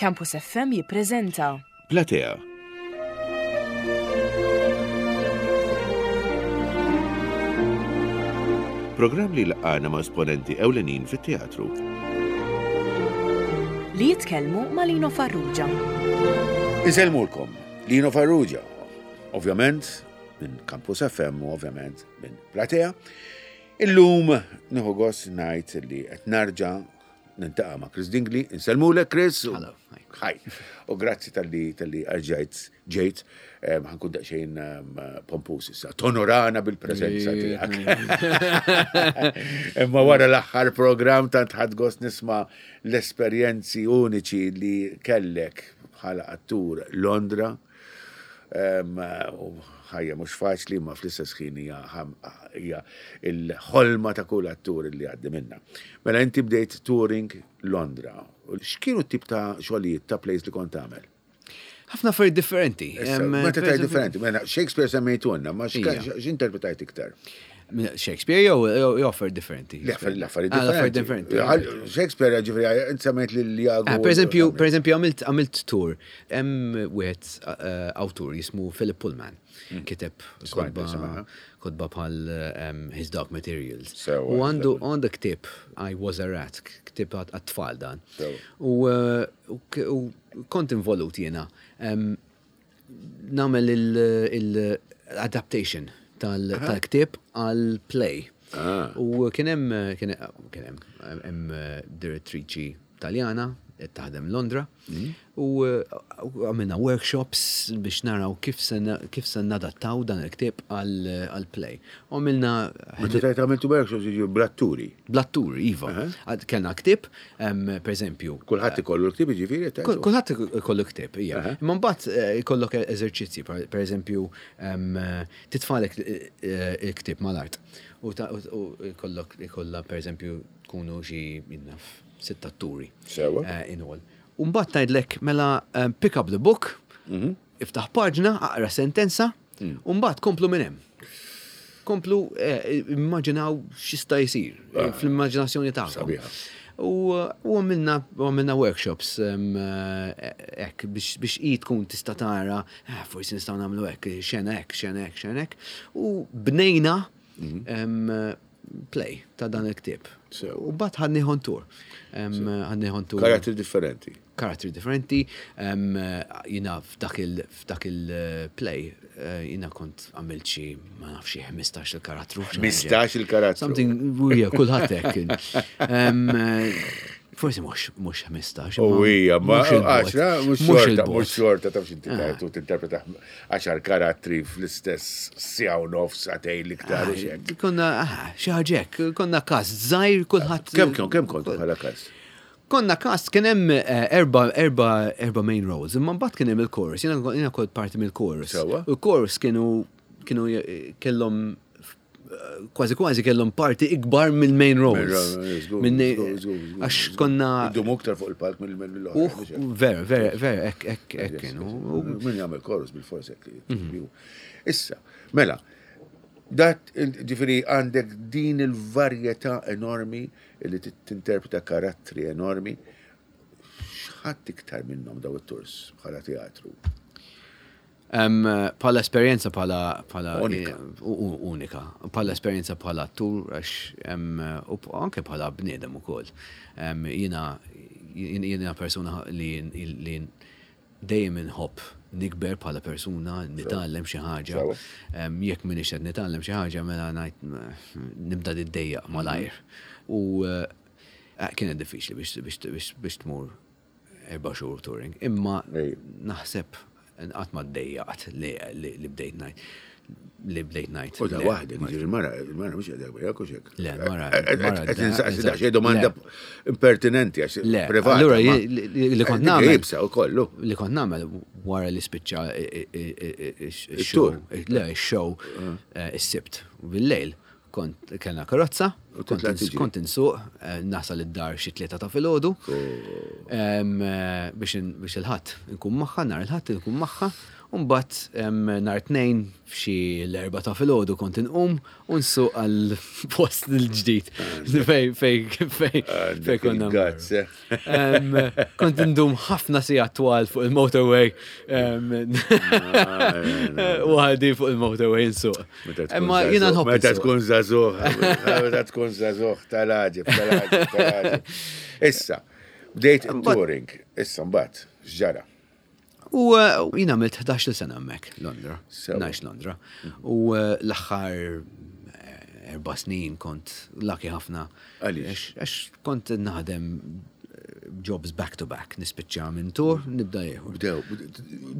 Campus FM jippreżenta. Platea. Programm li laqgħana ma' esponenti ewlenin fit-teatru. Li jitkellmu ma' Lino Farrugia. Insellmulkom, Lino Farrugia, ovvjament minn Campus FM u ovvjament minn Platea. Illum nieħu gost ngħid li qed narġa' nintaqa' ma' Chris Dingli. Insellmulek Chris. Hello. Hi. U grazzi tal-li tal-li arġajt ġejt ħankun daqsxejn pompus issa. Tonorana bil-preżenza tiegħek. Imma wara l-aħħar programm tant ħadd gost nisma' l-esperjenzi uniċi li kellek bħala attur Londra. U ħajja mhux faċli imma fl-istess ħin hija l-ħolma ta' kull attur li għaddi minnha. Mela inti bdejt touring Londra. X'kienu t-tip ta' xogħlijiet ta' plays li kont tagħmel? Ħafna affarijiet differenti. Meta tgħid differenti, mela Shakespeare semmejtulna, ma x'interpretajt iktar? Shakespeare jew affarijiet differenti? L-affarijiet ah, differenti. Shakespeare ġifieri int semmejt lil Iago. Ah, per eżempju, per eżempju għamilt tour hemm wieħed eh, awtur jismu Philip Pullman. Mm. Kiteb kotba bħal ehm, His Dark Materials. U għandu għandu ktieb I Was a Rat, ktieb għat-tfal dan. U eh, kont involut jiena. Ehm, nagħmel il-adaptation tal-ktieb għal play. Ah. U kien hemm kien hemm hemm direttriċi Taljana qed taħdem Londra mm. u għamilna workshops biex naraw kif se kif se nadattaw dan il-ktieb għal play. U għamilna Meta tajt għamiltu workshops jiġu blatturi. Blatturi, iva. Kellna ktieb, per eżempju. Kulħadd ikollu l-ktieb jiġifieri? Kulħadd ikollu ktieb, ija. Imma mbagħad eh, ikollok eżerċizzji, per eżempju, titfalek eh, il-ktieb mal-art. U ikollok ikollha per eżempju tkunu xi jinnaf sitt atturi. Sewa. Eh, in all. U mbagħad tgħidlek mela pick up the book, mhm. iftaħ paġna, aqra sentenza, mm. u mbagħad komplu minn hemm. Komplu eh, immaġinaw x'jista' jsir eh, ah. fl-immaġinazzjoni tagħkom. U għamilna għamilna workshops hekk biex i tkun tista' tara ah, forsi nistgħu nagħmlu hekk, xena hekk, xena hekk, xena hekk. U bnejna mhm. play ta' dan il-ktieb. U bat ħadni tour. Ħadni tour. Karattri differenti. Karattri differenti. Jina f'dak il-play, eh, jina kont għamilt xi, ma nafx xi 15 il-karattru. 15 il-karattru. Something, kulħadd hekk. Forsi mhux mhux 15. U hija, ma 10 mhux xorta, mhux xorta taf x'inti ah. tajtu tinterpreta għaxar karattri fl-istess siegħa u nofs sagħtejn l-iktar u xek. Konna ah, xi ħaġa hekk, konna kast żgħir kulħadd. Kemm kemm kemm kontu bħala kast? Konna kast kien hemm eh, erba erba erba main roles, imma mbagħad kien hemm il-chorus, jiena kont parti mill-chorus. U l-chorus kienu kienu eh, kellhom kważi kważi kellhom parti ikbar mill-main roles. Għax konna. Idumu iktar fuq il-palk mill-oħra. Vera, vera, vera, ek, ek, ek kienu. Min jagħmel chorus bil-fors hekk. Mhm. Issa, mela, dat ġifieri għandek din il-varjetà enormi li tinterpreta karattri enormi. X'ħadd iktar minnhom daw it-turs bħala teatru? Bħala esperjenza bħala bħala unika. Unika. Bħala esperjenza bħala attur għax u anke bħala bniedem ukoll. Jiena jiena persuna li li dejjem inħobb nikber bħala persuna, nitgħallem xi ħaġa. Jekk m'iniex qed nitgħallem xi ħaġa mela ngħid nibda niddejjaq malajr. U eh, kienet diffiċli biex tmur erba' xhur touring. Imma naħseb qatt ma ddejjaqt li bdejt ngħid li bdejt ngħid. U da waħdek, ġifieri il-mara, il-mara mhux qiegħda miegħek u xek. Le, mara. Qed insaqsi daqsxejn domanda impertinenti għax privata. Allura li kont nagħmel. Jibsa u kollu. Li kont nagħmel wara li spiċċa ix-show. Le, ix-show ah. eh, is-sibt bil-lejl. Kont kellna karozza, kont insuq, eh, nasal id-dar xi tlieta ta' filgħodu oh. eh, biex il-ħadd nkun magħha, nhar il-ħadd nkun magħha. U mbagħad nhar Tnejn f'xi l-erbgħa ta' filgħodu kont inqum u nsuq għal post il-ġdid fej fej fej fej konna. Kont indum ħafna sigħat twal fuq il-motorway. Waħdi fuq il-motorway nsuq. Imma jiena nħobb. Meta tkun żagħżugħ, meta tkun żagħżugħ tal-għaġeb, tal-għaġeb, tal-għaġeb. Issa, bdejt touring, issa mbagħad, x'ġara? U eh, jien għamilt 11 sena hemmhekk Londra. Nax Londra. U eh, l-aħħar eh, erba' snin kont lucky ħafna. Għaliex? Għax kont naħdem jobs back to back, nispiċċa minn tur, nibda ieħor. Bdew,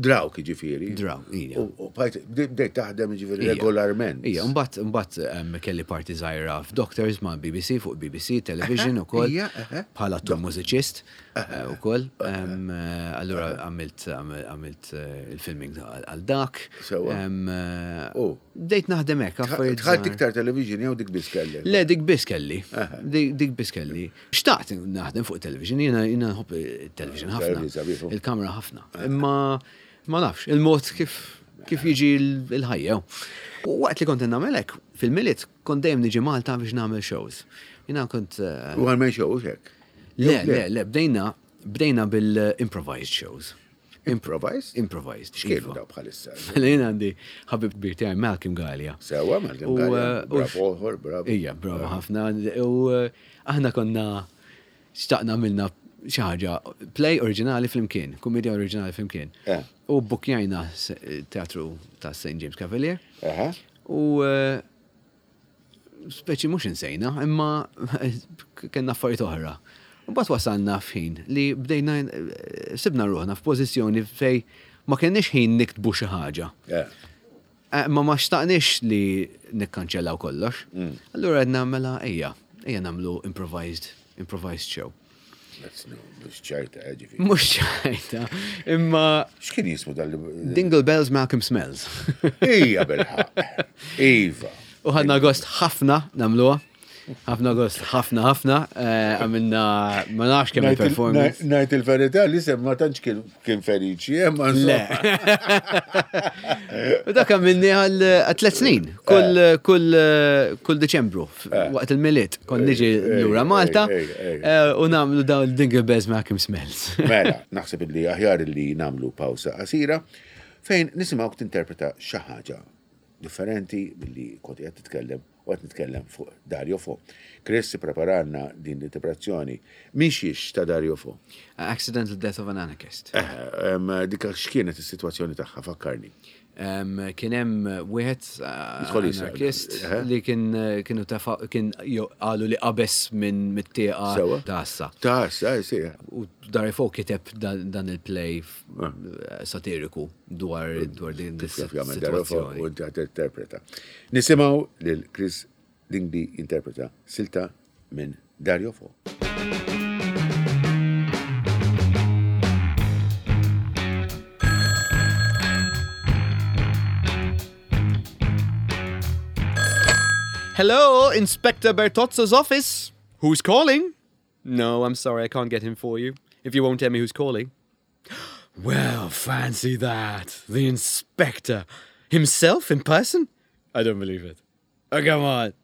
drawk ġifieri. Draw, ija. U bdejt taħdem ġifieri regolarment. Ija, mbagħad mbagħad kelli parti żgħira f'Doctors ma' BBC fuq BBC Television ukoll bħala attur mużiċist. Eh, ukoll. Eh, allura għamilt għamilt eh, il-filming għal dak. Bdejt naħdem hekk affarijiet. Tħadd iktar television jew dik biss kelli? Le dik biss kelli. Dik biss kelli. Xtaqt naħdem fuq television, jiena jiena nħobb il-television ħafna. Il-kamera ħafna. Imma ma nafx, il-mod kif kif jiġi l-ħajja. U waqt li kont nagħmel hekk, fil-Milied kont dejjem niġi Malta biex nagħmel shows. Jiena kont. U għal shows hekk? Le, le, le, bdejna, bdejna bil-improvised shows. Improvised? Improvised. X'kienu iva. daw bħalissa? Mela jien għandi ħabib kbir tiegħi Malcolm Gallia. Sewa Malcolm Gallia. Eh, bravo, bravo. Ija, bravo ħafna. U eh, aħna konna xtaqna minna xi ħaġa play oriġinali flimkien, kumedja oriġinali flimkien. Eh. U bukjajna teatru ta' St. James Cavalier. U speċi mhux insejna, imma kellna affarijiet oħra. Mbagħad wasalna f'ħin li bdejna eh, sibna ruħna f'pożizzjoni fej ma kenniex ħin niktbu xi ħaġa. Eh, ma ma xtaqniex li nikkanċellaw kollox. Mm. Allura għedna mela ejja, ejja nagħmlu improvised, improvised show. Mux ċajta, eh, ġifiri. Mux ċajta, imma. X'kien jismu dal Dingle Bells Malcolm Smells. Ija bilħaq. Iva. U ħadna gost ħafna namluha. Ħafna gost, ħafna, ħafna. Eh, għamilna, ma nafx kemm il-performance. Najt il-verità li sem ma tantx kien feriċi, eh, ma Le. U dak għamilni għal tlet snin, kull eh. kull kull Deċembru, eh. waqt il-Milied, kon niġi lura Malta u nagħmlu dawn il-Dingle Bells Malcolm Smells. Mela, naħseb li aħjar li nagħmlu pawsa qasira fejn nisimgħu tinterpreta xi ħaġa differenti milli kont qed titkellem u qed nitkellem fuq Dario Fo. Chris ippreparalna din l-interpretazzjoni minn xiex ta' Dario Fo. Accidental Death of an Anarchist. Eh, dik x'kienet is-sitwazzjoni tagħha fakkarni. Kien hemm wieħed eh, anarchist li kien eh, kienu tafa kien qalu li qabeż minn mit-tieqa ta' assa. Ta' assa, eh, sì. U Dario Fo kiteb dan il-play satiriku dwar dwar din is-sitwazzjoni. U inti interpreta. Nisimgħu lil Chris Dingli interpreta silta minn Dario Fo. Hello, Inspector Bertozzo's office. Who's calling? No, I'm sorry, I can't get him for you. If you won't tell me who's calling. Well, fancy that. The inspector. Himself in person? I don't believe it. Oh, come on.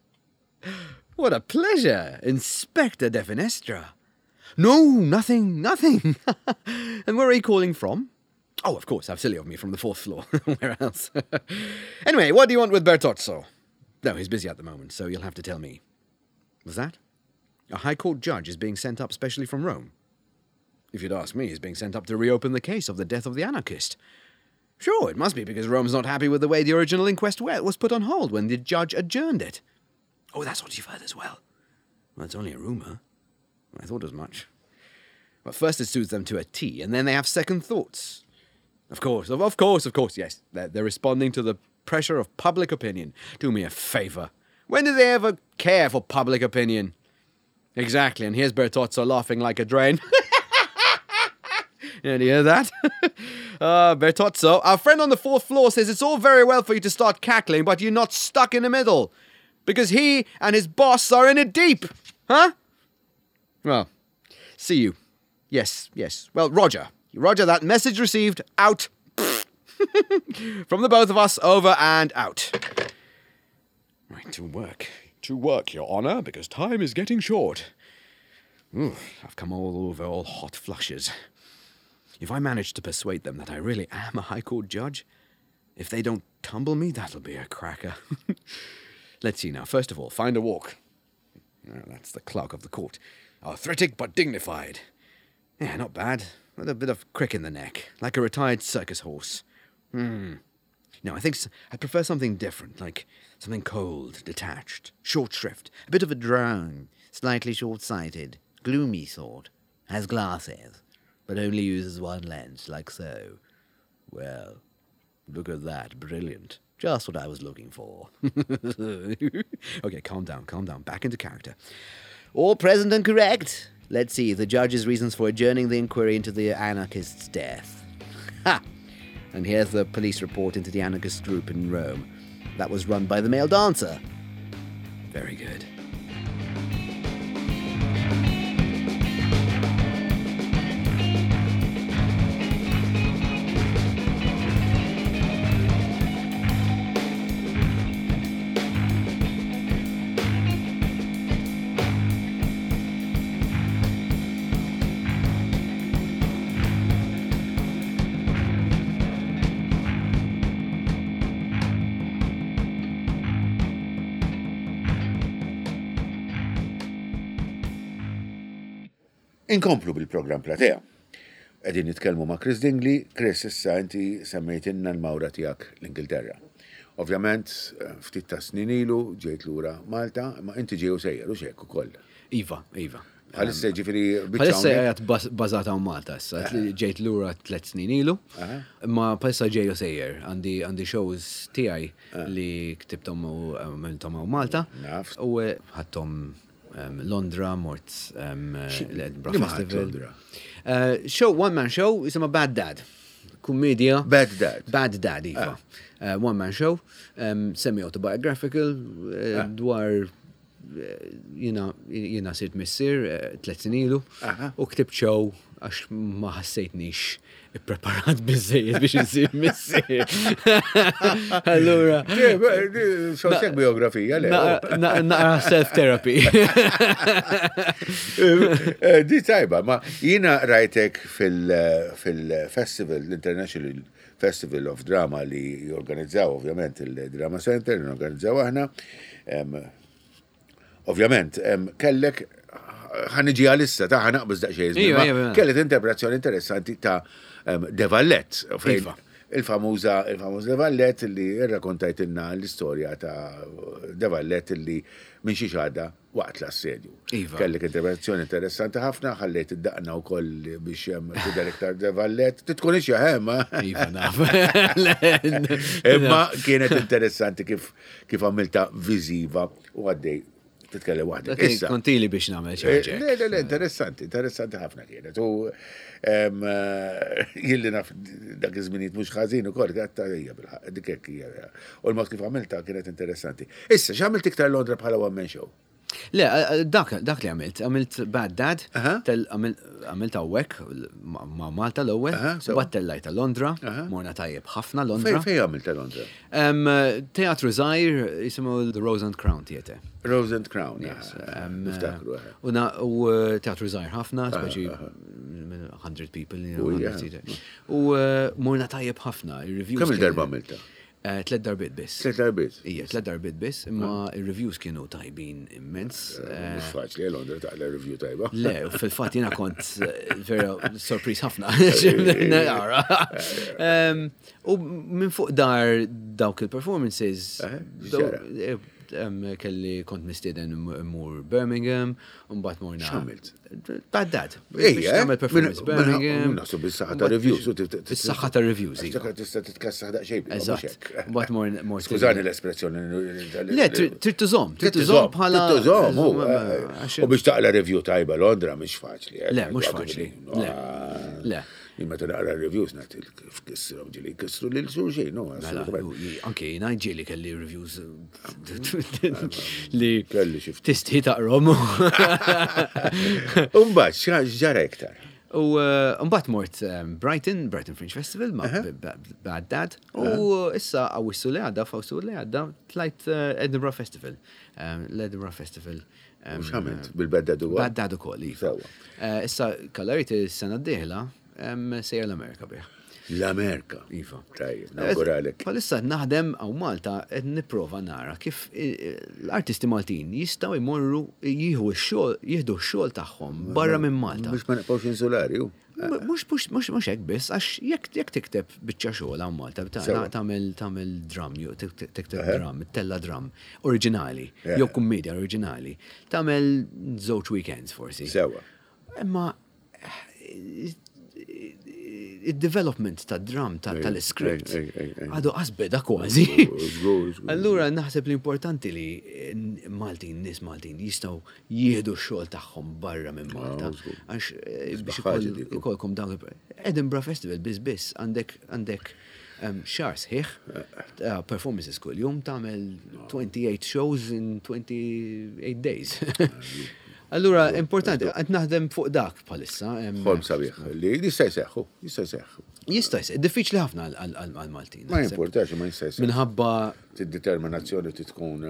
What a pleasure, Inspector Definestra. No, nothing, nothing. and where are you calling from? Oh, of course, how silly of me, from the fourth floor. where else? anyway, what do you want with Bertozzo? No, he's busy at the moment, so you'll have to tell me. Was that? A High Court judge is being sent up specially from Rome. If you'd ask me, he's being sent up to reopen the case of the death of the anarchist. Sure, it must be because Rome's not happy with the way the original inquest was put on hold when the judge adjourned it. Oh, that's what you've heard as well. Well, it's only a rumour. I thought as much. But first it suits them to a T, and then they have second thoughts. Of course, of, of course, of course, yes. They're, they're responding to the pressure of public opinion. Do me a favour. When did they ever care for public opinion? Exactly, and here's Bertozzo laughing like a drain. Did you hear that? uh, Bertozzo, our friend on the fourth floor says it's all very well for you to start cackling, but you're not stuck in the middle. Because he and his boss are in it deep. Huh? Well, see you. Yes, yes. Well, Roger. Roger, that message received. Out. From the both of us, over and out. Right, to work. To work, Your Honour, because time is getting short. Ooh, I've come all over all hot flushes. If I manage to persuade them that I really am a High Court judge, if they don't tumble me, that'll be a cracker. Let's see now. First of all, find a walk. That's the clerk of the court. Arthritic but dignified. Yeah, not bad. With a bit of crick in the neck, like a retired circus horse. No, I think I'd prefer something different, like something cold, detached, short shrift, a bit of a drone, slightly short-sighted, gloomy sort, has glasses, but only uses one lens, like so. Well, look at that, brilliant. Just what I was looking for. Okay, calm down, calm down, back into character. All present and correct. Let's see the judge's reasons for adjourning the inquiry into the anarchist's death. Ha! And here's the police report into the anarchist group in Rome. That was run by the male dancer. Very good. Inkomplu bil-programm Platea. Qegħdin nitkellmu ma' Chris Dingli. Chris, issa inti semmejtilna l-mawra tiegħek l-Ingilterra. Ovvjament, ftit ta' snin ilu ġejt lura Malta, ma inti ġej u sejjer u xek ukoll. Iva, iva. Bħalissa ġifieri Bħalissa qiegħed bażata hawn Malta issa, ġejt lura 3 snin ilu, imma bħalissa ġej u sejjer, għandi shows tiegħi li ktibthom u għamilthom hawn Malta. U ħadthom Londra, mort l-Edinburgh Festival. Show, one man show, jisimha Bad Dad. Kummedia. Bad Dad. Bad Dad, iva. One man show, semi-autobiographical, dwar jina sirt missier 3 snin ilu, u ktibt show għax ma ħassejtnix ippreparat biżejjed biex insir missier. Allura. Xogħol biografija, le. Naqra self-therapy. Di tajba, ma jina rajtek fil-festival, l-International Festival of Drama li jorganizzaw, ovvjament, il-Drama Center, li jorganizzaw aħna. Ovvjament, kellek, ħaniġi għalissa, ta' ħanaqbż daqsxejn żmien, ma kellek interpretazzjoni interessanti ta' De Valette, fejn il-famuża, il-famuż De Valette li rrakkontajtilna l-istorja ta' De Valette li minn xi xada waqt l-assedju. Kellek interpretazzjoni interessanti ħafna, ħallejt id-daqna wkoll biex hemm tidher iktar De Valette. Titkun ixja hemm. Iva, naf. Imma kienet interessanti kif għamilta viżiva u għaddej titkellem waħdek. Dak Issa. Kontili biex nagħmel xi ħaġa. Le, le, le, interessanti, interessanti ħafna kienet. U jilli naf dak iż-żminijiet mhux ħażin ukoll, għatta hija bil-ħaqq, dik hekk hija. U l-mod kif għamilta kienet interessanti. Issa, x'għamilt iktar Londra bħala one man show? Le, dak li għamilt, għamilt Bad Dad, għamilt hawnhekk ma' Malta l-ewwel, mbagħad tellajt Londra, morna tajjeb ħafna Londra. Fej għamilt Londra? Teatru żgħir jisimhu The Rose and Crown Theatre. Rose and Crown, Yes, niftakru, eh. U teatru żgħir ħafna, speċi 100 people, you know, 100 seater. U morna tajjeb ħafna, ir-reviews Kemm il-darba kienu għamilta? 3 darbiet biss. 3 darbiet? Ija, 3 darbiet biss, imma il-reviews kienu tajbin immens. Mhux faċli, Londra taqla review tajba. Le, u fil-fatt jiena kont vera sorpriż ħafna. Nara. U minn fuq dar dawk il-performances, X'ġara? kelli kont mistieden immur Birmingham, u mbagħad morna. X'għamilt? Bad Dad. Ejja, Biex nagħmel performance Birmingham. Nasu bis-saħħa ta' reviews, u Bis-saħħa ta' reviews, Għax iva. dak tista' titkassaħ daqsxejn, mhux Eżatt. hekk. Mbagħad mor Skużani stieden. l-espressjoni, Le, trid tużhom, trid tużhom bħala Trid tużhom, hu, għax u biex taqla review tajba Londra mhix faċli, Le, mhux faċli. Le. Le. Jien meta naqra reviews nagħti kif kissru ġieli kissru lil xulxin, no, Mela, assolutament. anke jiena ġieli kelli reviews li Kelli xi ftit. tistħi taqrom. Imbagħad, x'ġara iktar? U mbagħad mort Brighton, Brighton Fringe Festival ma' Bad Dad. U issa Awwissu li għadda, f'Awwissu li għadda, tlajt Edinburgh Festival. L-Edinburgh Festival. U x'għamilt bil-Bad Dad ukoll? Bad Dad ukoll, iva. Issa kallariti s-sena d-dieħla sejjer l-Amerika bih. L-Amerika. Iva. Tajjeb, nawguralek. Bħalissa qed naħdem hawn Malta qed nipprova nara kif l-artisti Maltin jistgħu jmorru jieħu x-xogħol, jieħdu x-xogħol tagħhom barra minn Malta. Biex ma nibqgħux insulari, hu. Mhux mhux mhux mhux hekk biss, għax jekk jekk tikteb biċċa xogħol hawn Malta, tagħmel tagħmel dram, jew tikteb dram, tella dram oriġinali, jew kummedja oriġinali, tagħmel żewġ weekends forsi. Sewwa. Imma il-development ta' dram tal-script għadu qasbeda kważi. Allura naħseb li importanti li Maltin, nis Maltin jistgħu jieħdu x-xogħol tagħhom barra minn Malta. Għax eh, biex ikolkom dawn Edinburgh Festival biss biss għandek għandek xahar sħiħ eh, performances kull jum tagħmel 28 shows in 28 days. Allura, importanti, qed naħdem fuq dak bħalissa. Ħolm sabiħ, li jista' jseħħu, jista' jseħħu. Jista' jseħħu, diffiċli ħafna għal-Maltin. Ma jimportax, ma jista' jseħħu. Minħabba. Id-determinazzjoni tkun.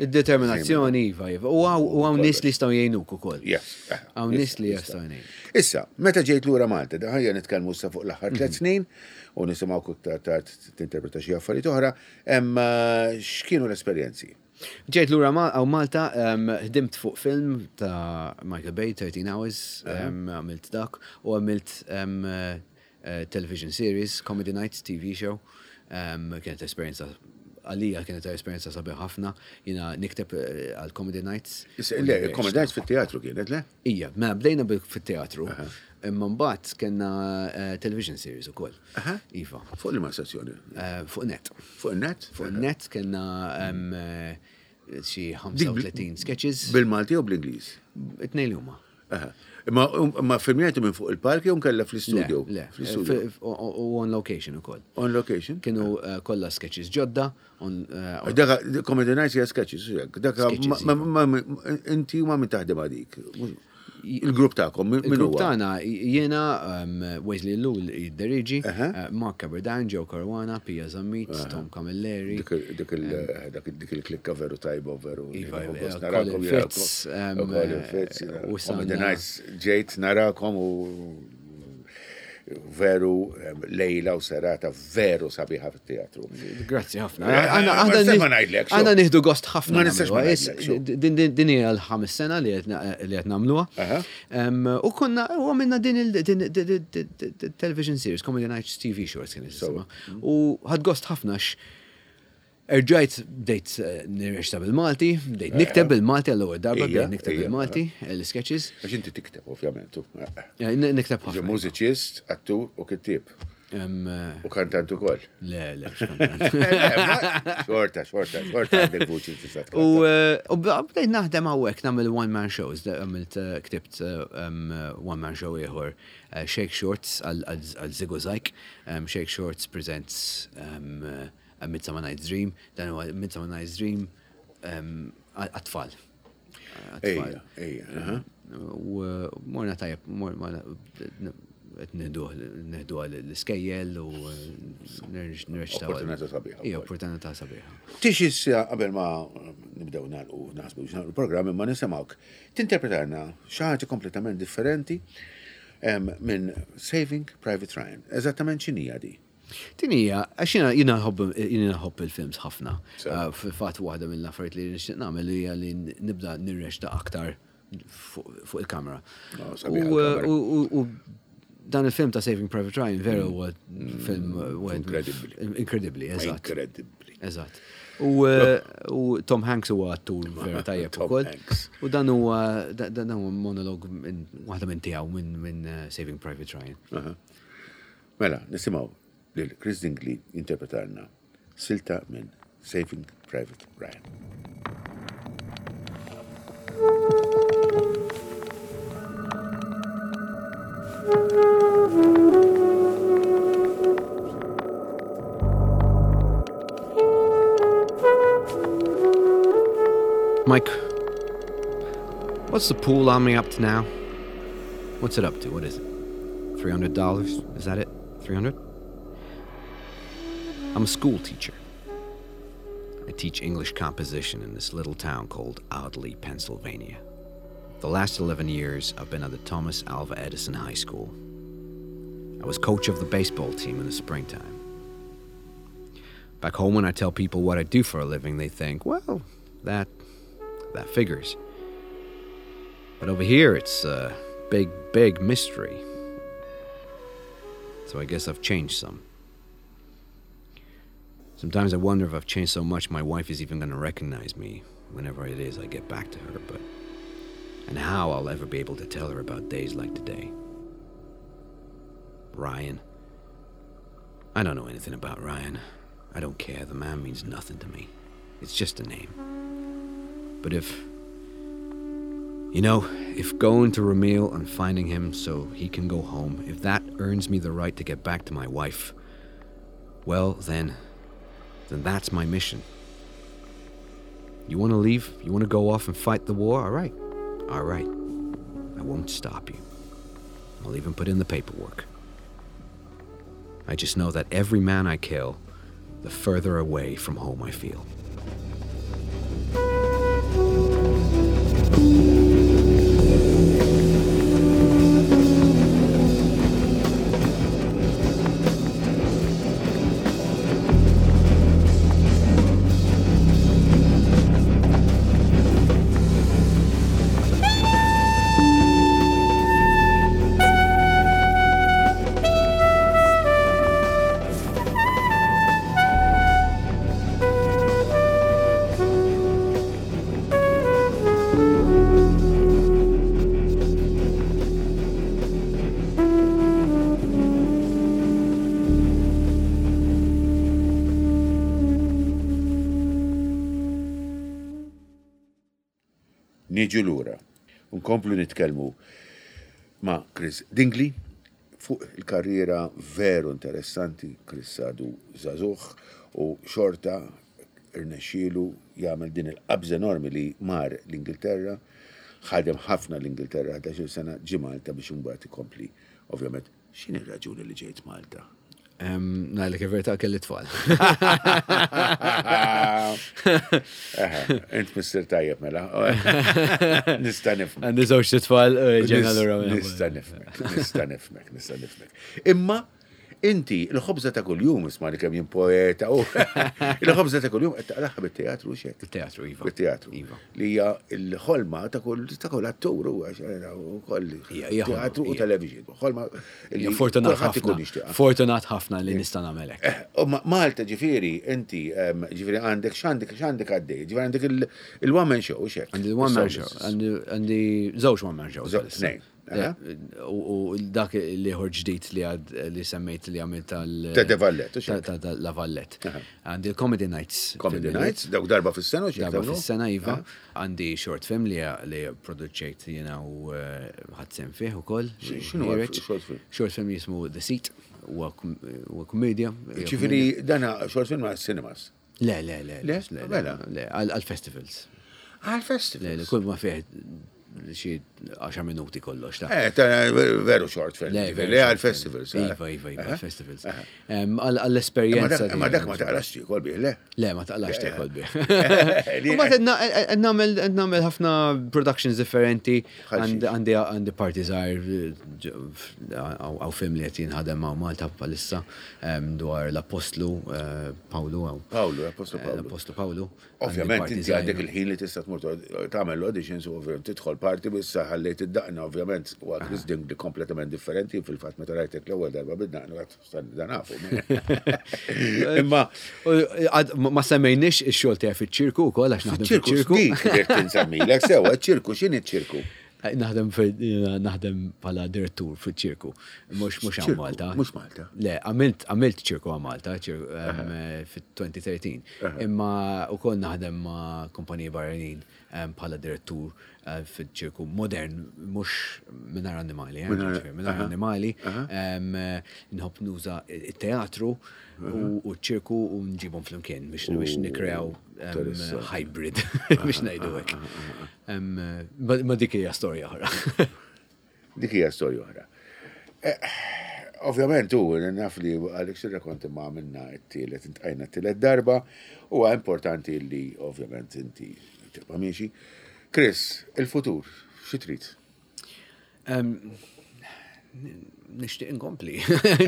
Id-determinazzjoni, iva, iva. U hawn nies li jistgħu jgħinuk ukoll. Yes. Hawn nies li jistgħu jgħinuk. Issa, meta ġejt lura Malta, da ħajja nitkellmu issa fuq l-aħħar tliet mhm. snin u nisimgħu iktar tard tinterpreta xi affarijiet oħra, x'kienu l-esperjenzi? Ġejt lura hawn Malta, ħdimt fuq film ta' Michael Bay, 13 Hours, għamilt dak, u għamilt eh, television series, Comedy Nights, TV show. Kienet esperjenza għalija kienet esperjenza sabiħ ħafna, jina nikteb eh, għal Comedy Nights. Le, Comedy Nights fit-teatru kienet, le? Ija, mela bdejna fit-teatru, imma mbagħad kellna eh, television series ukoll. Iva. Fuq li ma stazzjoni? Eh, fuq net. Fuq net? Fuq net kellna eh, xi 35 sketches. Bil-Malti u bl-Ingliż? It-tnejn li huma. Ma, ma filmjajtu minn fuq il-palk jew nkella fl-istudio? Le, fl-istudio. U on location ukoll. On location? Kienu kollha sketches ġodda. Daka, Comedy Nights hija sketches, daka, inti ma minn taħdem għadik. Il-grupp tagħkom, min Il-grupp tagħna jiena um, Wesley Lul jidderieġi, eh, Mark Caberdan, Joe Caruana, Pia Zammit, Tom Camilleri. Dik il-klikka veru tajba veru. Iva, iva, Colin Fitz. Um, Colin Fitz. U Comedy Nights ġejt narakom u veru lejla u serata veru sabiħa fit-teatru. Grazzi ħafna. Eh, aħna nieħdu gost ħafna. Ma nistax ma ngħidlek. Din hija l-ħames sena li qed nagħmluha. U konna u għamilna din il-television series, Comedy Nights TV Shorts kien jisimha. U ħad gost ħafna Erġajt bdejt eh, nirreċta bil-Malti, bdejt eh, nikteb bil-Malti għall-ewwel darba, bdejt nikteb bil-Malti, eh, l-sketches. Għax inti tikteb, ovvjament. Nikteb ħafna. Mużiċist, attur u kittib. U kantant ukoll. Le, le, Xorta, xorta, xorta għandek vuċi tista' U bdejt naħdem hawnhekk nagħmel one man shows, għamilt ktibt one man show ieħor Shake Shorts għal Zigo Zajk, Shake Shorts presents A Midsummer Night's Dream, dan huwa Midsummer Night's Dream għat-tfal. Ejja, ejja. U morna tajjeb, morna qed nieħdu l-iskejjel u nirreċtaw. Opportunità sabiħa. Ija, opportunità sabiħa. Tix issa qabel ma nibdew nagħlqu naħsbu biex nagħlqu programm imma nisimgħuk tinterpretalna xi ħaġa kompletament differenti minn Saving Private Ryan. Eżattament x'inhija di? Din hija, għax jiena jiena nħobb jiena nħobb il-films ħafna. Eh, fil-fatt waħda mill-affarijiet li nixtieq nagħmel hija li nibda nirreċta aktar fuq il-kamera. Oh, sabiħa U dan il-film ta' Saving Private Ryan veru mm. huwa mm. film inkredibbli. Inkredibbli, eżatt. Inkredibbli. Eżatt. U, eh, u Tom Hanks huwa attur vera tajjeb ukoll. U dan huwa dan huwa monolog waħda minn tiegħu minn eh, Saving Private Ryan. Mela, nisimgħu lil Chris Dingley jinterpretalna silta minn Saving Private Ryan. Mike, what's the pool army up to now? What's it up to? What is it? $300? Is that it? 300? I'm a school teacher. I teach English composition in this little town called Audley, Pennsylvania. The last 11 years, I've been at the Thomas Alva Edison High School. I was coach of the baseball team in the springtime. Back home, when I tell people what I do for a living, they think, well, that, that figures. But over here, it's a big, big mystery. So I guess I've changed some. Sometimes I wonder if I've changed so much my wife is even going to recognize me whenever it is I get back to her, but. And how I'll ever be able to tell her about days like today. Ryan. I don't know anything about Ryan. I don't care. The man means nothing to me. It's just a name. But if. You know, if going to Ramil and finding him so he can go home, if that earns me the right to get back to my wife, well, then. Then that's my mission. You want to leave? You want to go off and fight the war? All right. All right. I won't stop you. I'll even put in the paperwork. I just know that every man I kill, the further away from home I feel. Niġu lura. Nkomplu nitkellmu ma' Chris Dingli fuq il-karriera veru interessanti. Chris għadu żagħżugħ u xorta rnexxielu jagħmel din il-qabża enormi li mar l-Ingilterra, ħadem ħafna l-Ingilterra 11-il sena, ġie Malta biex imbagħad ikompli. Ovvjament, x'inhi r-raġuni li ġejt Malta? Ngħidlek il-verità kelli tfal. Int missier tajjeb mela. Nista' nifhmek. Għandi żewġ tfal, ġejna lura. Nista' nifhmek, nista' nifhmek, nista' nifhmek. Imma Inti, il-ħobża ta' kuljum, isma' li kemm jien poeta, u il-ħobża ta' kuljum qed taqlaħha bit-teatru xek. Bit-teatru, iva. Bit-teatru. Iva. Li hija l-ħolma ta' kull ta' kull attur u wkoll teatru u television. Ħolma li fortunat ħafna. Fortunat ħafna li nista' nagħmel hekk. Eh, Malta ġifieri, inti ġifieri għandek x'għandek x'għandek għaddej, ġifieri għandek il-one man show xek. Għandi l-one man show, għandi żewġ one man shows. Tnejn. U dak li ħor ġdid li għad li semmejt li għamilt tal. Ta' De Vallet. Ta' La Vallet. Għandi l-Comedy Nights. Comedy Nights, dawk darba fis-sena. Darba fis-sena, Iva. Għandi short film li li produċejt jena u eh, ħadsem fih ukoll. X'inhu short film? Short film jismu The Seat, huwa komedja. Ġifieri dana short film ma' cinemas. Le, le, le. Le, le, le, għal-festivals. Għal-festivals? Le, le, kull ma fih xi 10 minuti kollox. Ta. Eh, ta' veru short film. Le, veru għal-festivals. Eh. Iva, iva, iva, eh? festivals. Għall-esperjenza. Ma dak ma taqlax tiekol bih, le? Le, ma taqlax tiekol bih. Ma nagħmel ħafna productions differenti. Għandi għandi parti żgħir għaw film li qed jinħadem ma' Malta bħalissa dwar l-Apostlu eh, Pawlu. Pawlu, l-Apostlu Pawlu. L-Apostlu Pawlu. Ovvjament inti għandek il-ħin li tista' tmur tagħmel l-auditions u ovvjament tidħol parti bissa ħallejt id-daqna ovvjament u Chris Dingley kompletament differenti fil-fatt meta rajtek l-ewwel darba bid-daqna għad dan nafu. Imma ma semmejniex ix-xogħol tiegħi fiċ-ċirku wkoll għax naħdem fiċ-ċirku. Dik dik tinsemmilek sewa ċ-ċirku x'inhi ċ-ċirku? Eh, naħdem naħdem bħala direttur fiċ-ċirku. Mhux mhux għal Malta. Mhux Malta. Le, għamilt għamilt ċirku għal Malta eh, fit-2013. Imma wkoll naħdem ma' kumpaniji barranin bħala direttur eh, fiċ-ċirku modern mhux mingħajr annimali, mingħajr annimali. Nħobb nuża it-teatru u ċ-ċirku u nġibhom flimkien biex biex nikrew hybrid biex ngħidu hekk. Ma dik hija storja oħra. Dik hija storja oħra. Eh, ovvjament u naf li Alex irrakonti ma għamilna t-tielet, intqajna t-tielet darba, huwa importanti li ovvjament inti tibqa' miexi. Chris, il-futur, xi trid? Nixtieq inkompli.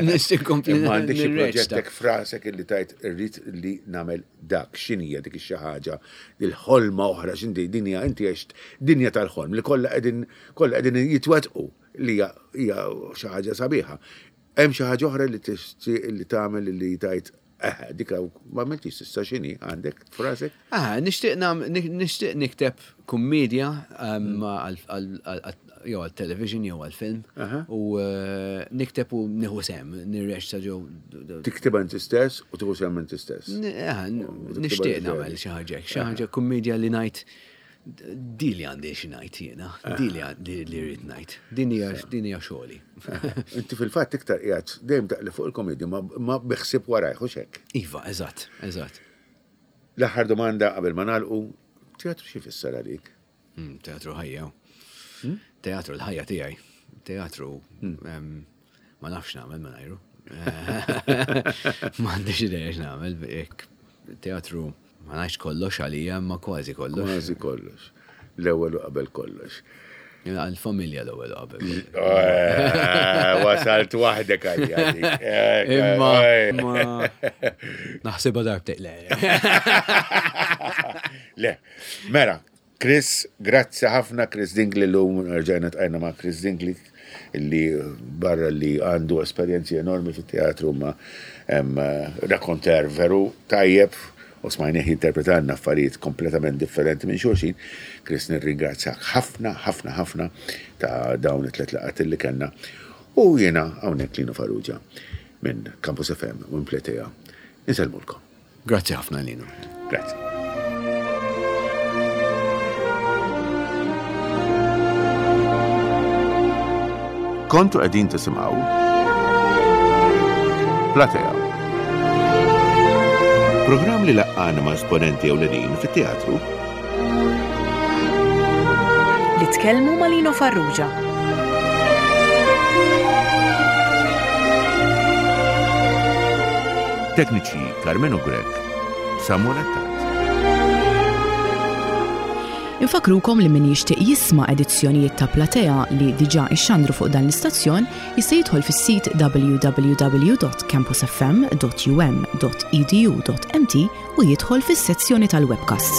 Nixtieq inkompli. Ma għandek xi proġettek frasek illi tajt irrid li nagħmel dak x'inhija dik xi ħaġa il-ħolma oħra x'inti dinja inti għext dinja tal-ħolm li kollha qegħdin kollha qegħdin jitwettqu li hija xi ħaġa sabiħa. Hemm xi ħaġa oħra li tixtieq li tagħmel li tajt eh dik ma għamiltix s'issa x'inhi għandek frasek? Ah, nixtieq nixtieq nikteb kummedja jew għal-television jew għal-film u eh, nikteb u nieħu sem, nirreċta ġew. Tiktibha inti stess u tieħu sem inti stess. Eh, nixtieq nagħmel xi ħaġa, xi ħaġa kummedja li ngħid Di li għandi xi ngħid jiena, di li li rrid ngħid. Din hija din hija xogħli. Inti fil-fatt iktar qiegħed dejjem taqli fuq il-komedja ma biħsib warajh u xek. Iva, eżatt, eżatt. L-aħħar domanda qabel ma nagħlqu, teatru xi jfisser għalik? Hmm, teatru ħajja. Hmm? Teatru l-ħajja tiegħi. Teatru hmm. ma nafx nagħmel mingħajru. M'għandix idea x'nagħmel teatru Ma ngħidx kollox għalija, imma kważi kollox. Kważi kollox. L-ewwel u qabel kollox. Għal-familja l-ewwel u qabel. Eh, wasalt waħdek għalija. Eh, imma naħsibha darbtejn le. Le, mela, Chris, grazzi ħafna Chris Dingley llum rġajna tqajna ma' Chris Dingley li barra li għandu esperjenzi enormi fit-teatru ma rakonter veru tajjeb u smajnieh jinterpretalna affarijiet kompletament differenti minn xulxin. Chris nirringrazzjak ħafna ħafna ħafna ta' dawn it-tlet laqgħat li kellna u jiena hawnhekk Lino Farrugia minn Campus FM u minn Pletea insellmulkom. Grazzi ħafna Lino. Grazzi. Kontu qegħdin tisimgħu Platea. Programm li laqqana ma' esponenti ewlenin fit-teatru. Li tkellmu ma' Lino Farrugia. Tekniċi Karmenu Grech, Samuel Attard. Infakkrukom li min jixtieq jisma' edizzjonijiet ta' Platea li diġà ixxandru fuq dan l-istazzjon jista' jidħol fis-sit www.campusfm.um.edu.mt u jidħol fis-sezzjoni tal-webcasts.